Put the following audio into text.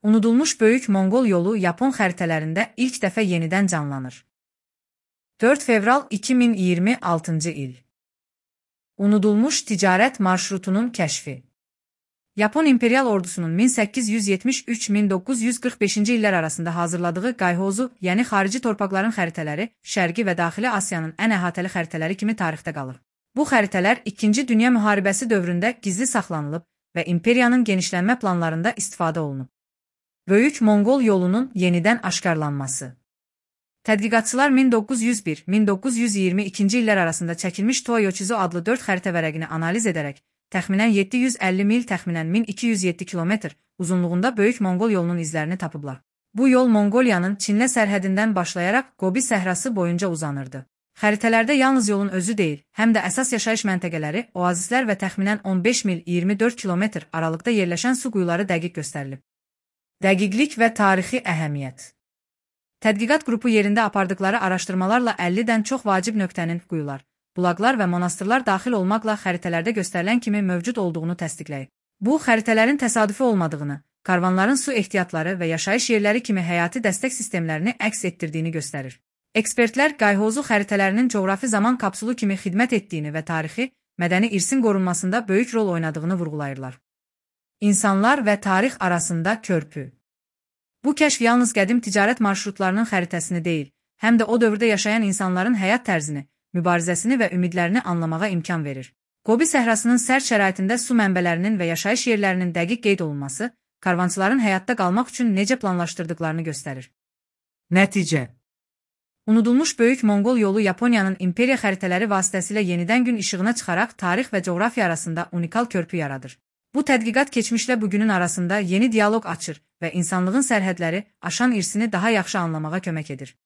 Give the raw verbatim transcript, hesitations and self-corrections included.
Unudulmuş Böyük Monqol yolu Yapon xəritələrində ilk dəfə yenidən canlanır. dörd fevral iki min iyirmi altıncı il. Unudulmuş ticarət marşrutunun kəşfi. Yapon İmperial ordusunun min səkkiz yüz yetmiş üç - min doqquz yüz qırx beşinci illər arasında hazırladığı Qayhozu, yəni xarici torpaqların xəritələri, Şərqi və Daxili Asiyanın ən əhatəli xəritələri kimi tarixdə qalır. Bu xəritələr İkinci Dünya müharibəsi dövründə gizli saxlanılıb və imperiyanın genişlənmə planlarında istifadə olunub. Böyük Monqol yolunun yenidən aşkarlanması. Tədqiqatçılar min doqquz yüz bir - min doqquz yüz iyirmi ikinci illər arasında çəkilmiş Toyochizo adlı dörd xəritə vərəqini analiz edərək, təxminən yeddi yüz əlli mil, təxminən min iki yüz yeddi kilometr uzunluğunda Böyük Monqol yolunun izlərini tapıblar. Bu yol Monqoliyanın Çinlə sərhədindən başlayaraq Gobi səhrası boyunca uzanırdı. Xəritələrdə yalnız yolun özü deyil, həm də əsas yaşayış məntəqələri, oazislər və təxminən on beş mil iyirmi dörd kilometr aralıqda yerləşən su quyuları dəqiq göstərilib. Dəqiqlik və tarixi əhəmiyyət. Tədqiqat qrupu yerində apardıqları araşdırmalarla əllidən çox vacib nöqtənin quyular, bulaqlar və monastırlar daxil olmaqla xəritələrdə göstərilən kimi mövcud olduğunu təsdiqləyib. Bu, xəritələrin təsadüfi olmadığını, karvanların su ehtiyatları və yaşayış yerləri kimi həyati dəstək sistemlərini əks etdirdiyini göstərir. Ekspertlər Qayhozu xəritələrinin coğrafi zaman kapsulu kimi xidmət etdiyini və tarixi, mədəni irsin qorunmasında böyük rol oynadığını vurğulayırlar. İnsanlar və tarix arasında körpü. Bu kəşf yalnız qədim ticarət marşrutlarının xəritəsini deyil, həm də o dövrdə yaşayan insanların həyat tərzini, mübarizəsini və ümidlərini anlamağa imkan verir. Gobi səhrasının sərt şəraitində su mənbələrinin və yaşayış yerlərinin dəqiq qeyd olunması, karvançıların həyatda qalmaq üçün necə planlaşdırdıqlarını göstərir. Nəticə. Unudulmuş Böyük Monqol yolu Yaponiyanın imperiya xəritələri vasitəsilə yenidən gün işığına çıxaraq tarix və coğrafiya arasında unikal körpü yaradır. Bu tədqiqat keçmişlə bugünün arasında yeni dialoq açır və insanlığın sərhədləri aşan irsini daha yaxşı anlamağa kömək edir.